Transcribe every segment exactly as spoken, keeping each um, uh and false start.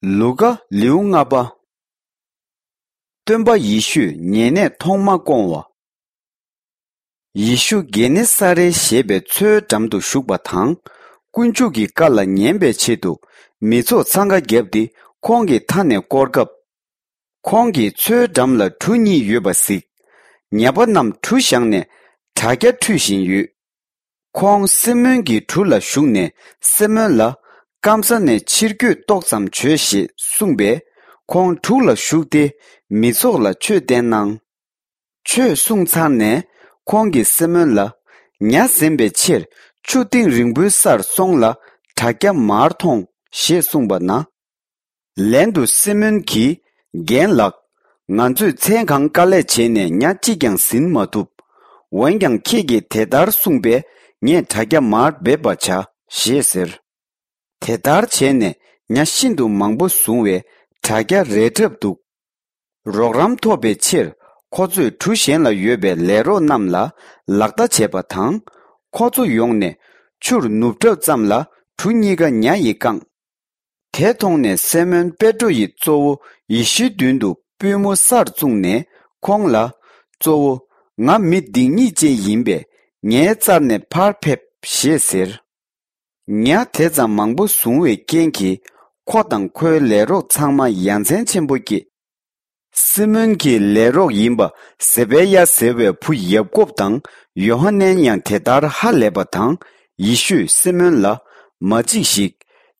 ལུ་ཀ། ལེའུ་ལྔ་པ། སྟོན་པ་ཡེ་ཤུས་ཉེ་གནས་ཐོག་མ་བསྐོང་བ། ཡེ་ཤུ་གེ་ནེ་ས་རེ་ཞེས་པའི་མཚོའི་འགྲམ་དུ་བཞུགས་པ་དང་། དཀོན་མཆོག་གི་བཀའ་ལ་ཉན་པའི་ཆེད་དུ། མི་ཚོགས་འཚང་ཁ་བརྒྱབ་སྟེ་ཁོང་གི་མཐའ་ནས་བསྐོར་སྐབས། ཁོང་གིས་མཚོའི་འགྲམ་ལ་གྲུ་གཉིས་ཡོད་པ་གཟིགས། ཉ་པ་རྣམས་གྲུ་བཞག་ནས་དྲ་རྒྱ་འཁྲུད་བཞིན་ཡོད། ཁོང་སི་མོན་གྱི་གྲུ་ལ་ཞུགས་ནས། སི་མོན་ལ། སྐམ་ས་ནས་ཕྱིར་སྐྱོད་ཏོག་ཙམ་བྱོས་ཞེས་གསུངས་པས། ཁོང་གྲུ་ལ་ཞུགས་ཏེ། མི་ཚོགས་ལ་ཆོས་བསྟན་གནང་། ཆོས་གསུངས་ཚར་ནས། ཁོང་གིས་སི་མོན་ལ། ཉ་ཟིན་པའི་ཕྱིར། ཆུ་གཏིང་རིང་པོའི་སར་སོང་ལ། དྲ་རྒྱ་མར་ཐོངས། ཞེས་གསུངས་པ་ན། ལན་དུ་སི་མོན་གྱིས། རྒན་ལགས། ང་ཚོས་མཚན་གང་དཀའ་ལས་བྱས་ནས་ཉ་གཅིག་ཀྱང་ཟིན་མ་ཐུབ། འོན་ཀྱང་ཁྱེད་ཀྱིས་དེ་ལྟར་གསུངས་པས། ངས་དྲ་རྒྱ་མར་འབེབས་པར་བྱ། ཞེས་ཟེར། དེ་ལྟར་བྱས་ནས་ཉ་ཤིན་ཏུ་མང་པོ་བཟུང་བས། དྲ་རྒྱ་རལ་གྲབས་འདུག། རོགས་རམ་ཐོབ་པའི་ཕྱིར། ཁོ་ཚོས་གྲུ་གཞན་ལ་ཡོད་པའི་ལས་རོགས་རྣམས་ལ་ལག་བརྡ་བྱས་པ་དང་། ཁོ་ཚོ་ཡོང་ནས་ཆུར་ནུབ་གྲབས་ཙམ་ལ། གྲུ་གཉིས་ཀ་ཉ་ཡིས་བཀང་། དེ་མཐོང་ནས་སི་མོན་པེ་ཏྲོ་ཡིས་གཙོ་བོ་ཡེ་ཤུའི་མདུན་དུ་པུས་མོ་སར་བཙུགས་ནས་ཁོང་ལ། གཙོ་བོ། ང་མི་སྡིག་ཉེས་ཅན་ཡིན་པས། ངའི་རྩར་ནས་ཕར་ཕེབས། ཞེས་ཟེར། ཉ་དེ་ཙམ་མང་པོ་བཟུང་བའི་རྐྱེན་གྱིས། ཁོ་དང་ཁོའི་ལས་རོགས་ཚང་མ་ཡ་མཚན་ཆེན་པོ་སྐྱེས། སི་མོན་གྱི་ལས་རོགས་ཡིན་པ་ཟེ་བེ་ཡ་ཟེར་བའི་བུ་ཡབ་ཀོབ་དང་ཡོ་ཧ་ནན་ཡང་དེ་ལྟར་ཧ་ལས་པ་དང་། ཡེ་ཤུས་སི་མོན་ལ། མ་འཇིགས་ཤིག།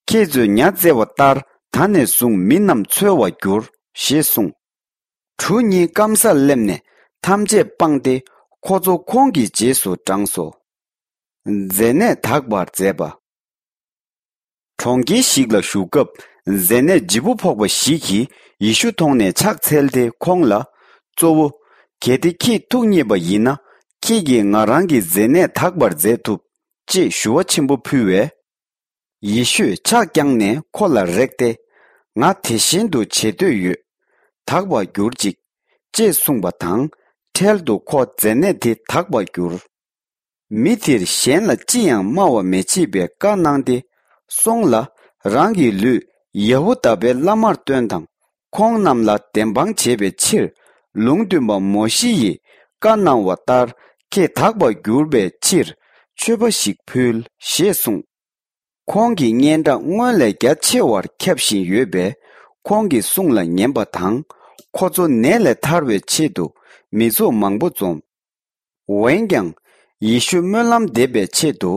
ཁྱེད་ཚོས་ཉ་བཙལ་བ་ལྟར། ད་ནས་བཟུང་མི་རྣམས་འཚོལ་བར་འགྱུར། ཞེས་གསུངས། གྲུ་གཉིས་སྐམ་སར་སླེབས་ནས་ཐམས་ཅད་སྤངས་ཏེ། ཁོ་ཚོ་ཁོང་གི་རྗེས་སུ་འབྲངས་སོ། མཛེ་ནད་དག་པར་མཛད་པ། གྲོང་ཁྱེར་ཞིག་ལ་བཞུགས་སྐབས། མཛེ་ནད་ལྗིད་པོ་ཕོག་པ་ཞིག་གིས་ཡེ་ཤུ་མཐོང་ནས་ཕྱག་འཚལ་ཏེ་ཁོང་ལ། གཙོ་བོ། གལ་ཏེ་ཁྱེད་ཐུགས་མཉེས་པ་ཡིན་ན། ཁྱེད་ཀྱིས་ང་རང་གི་མཛེ་ནད་དག་པར་མཛད་ཐུབ། ཅེས་ཞུ་བ་ཆེན་པོ་ཕུལ་བས། ཡེ་ཤུས་ཕྱག་བརྐྱངས་ནས་ཁོ་ལ་རེག་སྟེ། ང་དེ་བཞིན་དུ་བྱེད་འདོད་ཡོད། དག་པར་གྱུར་ཅིག། ཅེས་གསུངས་པ་དང་། འཕྲལ་དུ་ཁོ་མཛེ་ནད་དེ་དག་པར་གྱུར། མི་དེར་གཞན་ལ་ཅི་ཡང་སྨྲ་བ་མི་བྱེད་པའི་བཀའ་གནང་སྟེ། སོང་ལ། རང་གི་ལུས་ཡ་ཧུ་དཱ་པའི་བླ་མར་སྟོན་དང་། ཁོང་རྣམས་ལ་བདེན་དཔང་བྱེད་པའི་ཕྱིར། ལུང་སྟོན་པ་མོ་ཤེ་ཡིས་བཀའ་གནང་བ་ལྟར། ཁྱེད་དག་པར་གྱུར་པའི་ཕྱིར། མཆོད་པ་ཞིག་ཕུལ། ཞེས་གསུངས། ཁོང་གི་སྙན་གྲགས་སྔོན་ལས་རྒྱ་ཆེ་བར་ཁྱབ་བཞིན་ཡོད་པས། ཁོང་གི་གསུང་ལ་ཉན་པ་དང་། ཁོ་ཚོ་ནད་ལས་ཐར་བའི་ཆེད་དུ་མི་ཚོགས་མང་པོ་འཛོམས། འོན་ཀྱང་། ཡེ་ཤུ་སྨོན་ལམ་འདེབས་པའི་ཆེད་དུ་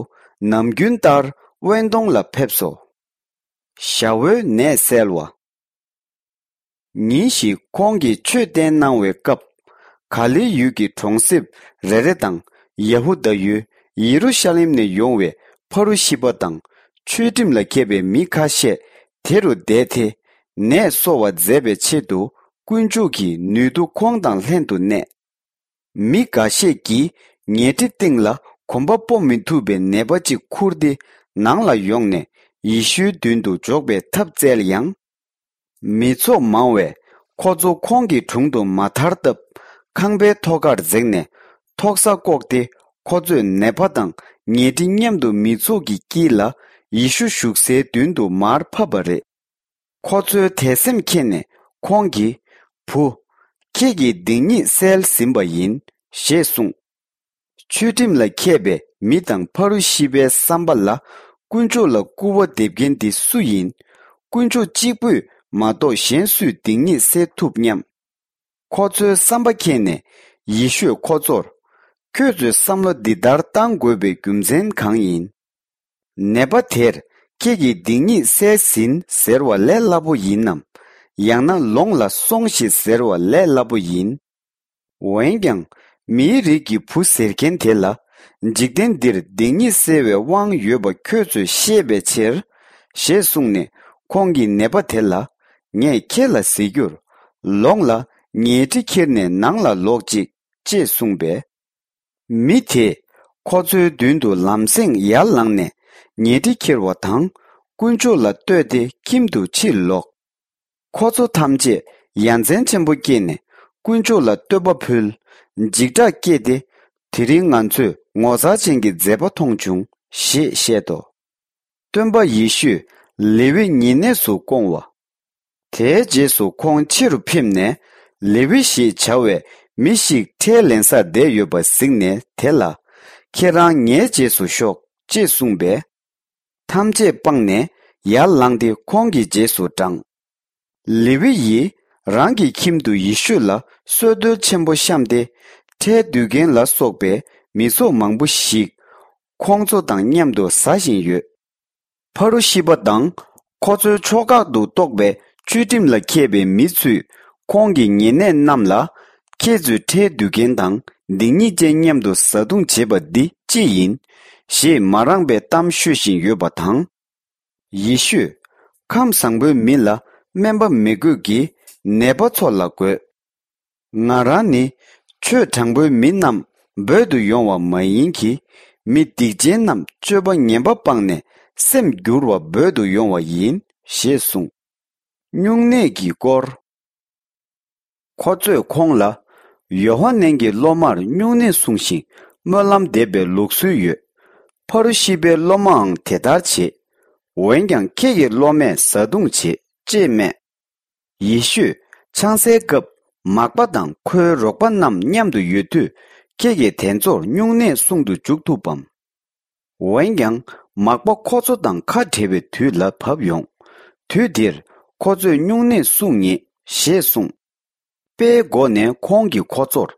ནམ་རྒྱུན་ལྟར་དབེན་སྟོང་ལ་ཕེབས་སོ། ཞ་བོའི་ནད་སེལ་བ། ཉིན་ཞིག་ཁོང་གིས་ཆོས་བསྟན་གནང་བའི་སྐབས། ག་ལིལ་ཡུལ་གྱི་གྲོང་གསེབ་རེ་རེ་དང་། ཡ་ཧུ་དཱ་ཡུལ་ཡེ་རུ་ཤ་ལེམ་ནས་ཡོང་བའི་ཕ་རུ་ཤི་པ་དང་། ཆོས་ཁྲིམས་ལ་མཁས་པའི་མི་ཁ་ཤས་དེ་རུ་བསྡད་དེ། ནད་གསོ་བ་མཛད་པའི་ཆེད་དུ། དཀོན་མཆོག་གི་ནུས་མཐུ་ཁོང་དང་ལྷན་དུ་གནས། མི་འགའ་ཤས་ཀྱིས་ཉལ་ཁྲི་སྟེང་ལ་གོམ་པ་སྤོ་མི་ཐུབ་པའི་ནད་པ་ཅིག་ཁུར་ཏེ་ནང་ལ་ཡོང་ནས་ཡེ་ཤུའི་མདུན་དུ་འཇོག་པའི་ཐབས་བཙལ་ཡང་། མི་ཚོགས་མང་བས་ཁོ་ཚོ་ཁོང་གི་དྲུང་དུ་མ་ཐར་སྟབས། ཁང་པའི་ཐོག་ཁར་འཛེགས་ནས་ཐོག་ས་བཀོག་སྟེ། ཁོ་ཚོས་ནད་པ་དང་ཉལ་ཁྲི་མཉམ་དུ་མི་ཚོགས་ཀྱི་དཀྱིལ་ལ་ཡེ་ཤུ་བཞུགས་སའི་མདུན་དུ་མར་ཕབ་པ་རེད། ཁོ་ཚོའི་དད་སེམས་མཁྱེན་ནས་ཁོང་གིས། བུ། ཁྱེད་ཀྱི་སྡིག་ཉེས་བསལ་ཟིན་པ་ཡིན། ཞེས་གསུངས། ཆོས་ཁྲིམས་ལ་མཁས་པའི་མི་དང་ཕ་རུ་ཤི་པའི་བསམ་པ་ལ། དཀོན་མཆོག་ལ་སྐུར་བ་འདེབས་མཁན་འདི་སུ་ཡིན། དཀོན་མཆོག་གཅིག་པུས་མ་གཏོགས་གཞན་སུས་སྡིག་ཉེས་སེལ་ཐུབ་སྙམ། ཁོ་ཚོའི་བསམ་པ་མཁྱེན་ནས་ཡེ་ཤུས་ཁོ་ཚོར། ཁྱོད་ཚོས་བསམ་བློ་འདི་ལྟར་བཏང་དགོས་པའི་རྒྱུ་མཚན་གང་ཡིན། ནད་པ་དེར། ཁྱེད་ཀྱི་སྡིག་ཉེས་བསལ་ཟིན་ཟེར་བ་ལས་སླ་པོ་ཡིན་ནམ། ཡང་ན་ལོངས་ལ་སོང་ཞིག་ཟེར་བ་ལས་སླ་པོ་ཡིན། འོན་ཀྱང་། མིའི་རིགས་ཀྱི་བུ་ཟེར་མཁན་དེ་ལ། འཇིག་རྟེན་འདིར་སྡིག་ཉེས་སེལ་བའི་དབང་ཡོད་པ་ཁྱོད་ཚོས་ཤེས་པའི་ཕྱིར། ཞེས་གསུངས་ནས་ཁོང་གིས་ནད་པ་དེ་ལ། ངས་ཁྱེད་ལ་ཟེར་རྒྱུར། ལོངས་ལ་ཉལ་ཁྲི་ཁྱེར་ནས་ནང་ལ་ལོག་ཅིག། ཅེས་གསུངས་པས། མི་དེས་ཁོ་ཚོའི་མདུན་དུ་ལམ་སེང་ཡར་ལངས་ནས་ཉལ་ཁྲི་ཁྱེར་བ་དང་། དཀོན་མཆོག་ལ་བསྟོད་དེ་ཁྱིམ་དུ་ཕྱིར་ལོག། ཁོ་ཚོ་ཐམས་ཅད་ཡ་མཚན་ཆེན་པོ་སྐྱེས་ནས་དཀོན་མཆོག་ལ་བསྟོད་པ་ཕུལ། འཇིགས་སྐྲག་སྐྱེས་ཏེ། དེ་རིང་ང་ཚོས་ངོ་མཚར་ཅན་གྱི་མཛད་པ་མཐོང་བྱུང་། ཞེས་བཤད་དོ། སྟོན་པ་ཡེ་ཤུས་ལེ་ཝི་ཉེ་གནས་སུ་བསྐོང་བ། དེའི་རྗེས་སུ་ཁོང་ཕྱི་རུ་ཕེབས་ནས། ལེ་ཝི་ཞེས་བྱ་བའི་མི་ཞིག་ཁྲལ་ལེན་སར་བསྡད་ཡོད་པ་གཟིགས་ནས་དེ་ལ། ཁྱེད་རང་ངའི་རྗེས་སུ་ཤོག་ཅེས་གསུངས་པས། ཐམས་ཅད་སྤངས་ནས་ཡར་ལངས་ཏེ་ཁོང་གི་རྗེས་སུ་འབྲངས། ལེ་ཝི་ཡིས་རང་གི་ཁྱིམ་དུ་ཡེ་ཤུ་ལ་གསོལ་སྟོན་ཆེན་པོ་བཤམས་ཏེ། ཁྲལ་བསྡུ་མཁན་ལ་སོགས་པའི་མི་ཚོགས་མང་པོ་ཞིག་ཁོང་ཚོ་དང་མཉམ་དུ་ཟ་བཞིན་ཡོད། ཕ་རུ་ཤི་པ་དང་ཁོ་ཚོའི་ཕྱོགས་ཁག་ཏུ་གཏོགས་པའི་ཆོས་ཁྲིམས་ལ་མཁས་པའི་མི་ཚོས་ཁོང་གི་ཉེ་གནས་རྣམས་ལ། ཁྱེད་ཚོས་ཁྲལ་བསྡུ་མཁན་དང་སྡིག་ཉེས་ཅན་མཉམ་དུ་བཟའ་བཏུང་བྱེད་པ་འདི་ཅི་ཡིན། ཞེས་མ་རངས་པའི་གཏམ་ཤོད་བཞིན་ཡོད་པ་དང་། ཡེ་ཤུས། ཁམས་བཟང་པོའི་མི་ལ་སྨན་པ་མི་དགོས་ཀྱི། ནད་པ་ཚོ་ལ་དགོས། ང་རང་ནི་ཆོས་དྲང་པོའི་མི་རྣམས་འབོད་དུ་ཡོང་བ་མ་ཡིན་གྱི། མི་སྡིག་ཅན་རྣམས་སྤྱོད་པ་ངན་པ་སྤངས་ནས་སེམས་བསྒྱུར་བར་འབོད་དུ་ཡོང་བ་ཡིན། ཞེས་གསུངས། སྨྱུང་གནས་ཀྱི་སྐོར། ཁོ་ཚོས་ཁོང་ལ། ཡོ་ཧ་ནན་གྱི་སློབ་མར་སྨྱུང་གནས་སྲུང་ཞིང་སྨོན་ལམ་འདེབས་པའི་ལུགས་སྲོལ་ཡོད། ཕ་རུ་ཤི་པའི་སློབ་མའང་དེ་ལྟར་བྱེད། འོན་ཀྱང་ཁྱེད་ཀྱི་སློབ་མས་བཟའ་བཏུང་བྱེད་ཅེས་སྨྲས། ཡེ་ཤུས་ཆང་སའི་སྐབས་མག་པ་དང་ཁོའི་རོགས་པ་རྣམས་མཉམ་དུ་ཡོད་དུས། ཁྱེད་ཀྱིས་དེ་ཚོར་སྨྱུང་གནས་སྲུང་དུ་འཇུག་ཐུབ་བམ། འོན་ཀྱང་། མག་པ་ཁོ་ཚོ་དང་ཁ་བྲལ་བའི་དུས་ལ་བབ་ཡོང་། དུས་དེར་ཁོ་ཚོས་སྨྱུང་གནས་སྲུང་ངེས་ཞེས་གསུངས། དཔེའི་སྒོ་ནས་ཁོང་གིས་ཁོ་ཚོར།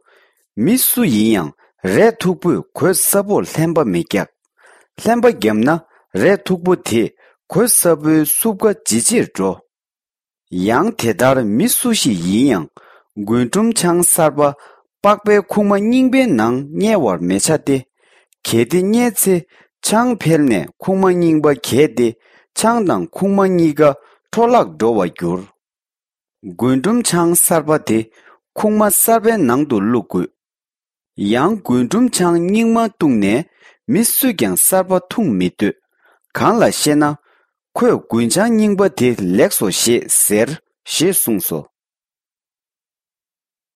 མི་སུ་ཡིན་ཡང་རས་མཐུག་པོས་གོས་སྲབ་པོར་ལྷན་པ་མི་རྒྱག་ལྷན་པ་བརྒྱབ་ན་རས་མཐུག་པོ་དེས་གོས་སྲབ་པོའི་སྲུབས་ཀ་ཇེ་ཆེར་འགྲོ། ཡང་དེ་ལྟར་མི་སུ་ཞིག་ཡིན་ཡང་རྒུན་འབྲུམ་ཆང་གསར་པ་པགས་པའི་ཁུག་མ་རྙིང་པའི་ནང་བསྙལ་བར་མི་བྱ་སྟེ། གལ་ཏེ་བསྙལ་ཚེ་ཆང་འཕེལ་ནས་ཁུག་མ་རྙིང་པ་གས་ཏེ་ཆང་དང་ཁུག་མ་གཉིས་ཀ་འཕྲོ་བརླག་འགྲོ་བར་འགྱུར། རྒུན་འབྲུམ་ཆང་གསར་པ་དེ་ཁུག་མ་གསར་པའི་ནང་དུ་བླུག་དགོས། ཡང་རྒུན་འབྲུམ་ཆང་རྙིང་མ་བཏུངས་ནས་མི་སུས་ཀྱང་གསར་པ་འཐུང་མི་འདོད། གང་ལ་ཞེ་ན། ཁོས་རྒུན་ཆང་རྙིང་པ་དེ་ལེགས་སོ་ཞེས་ཟེར་ཞེས་གསུངས་སོ།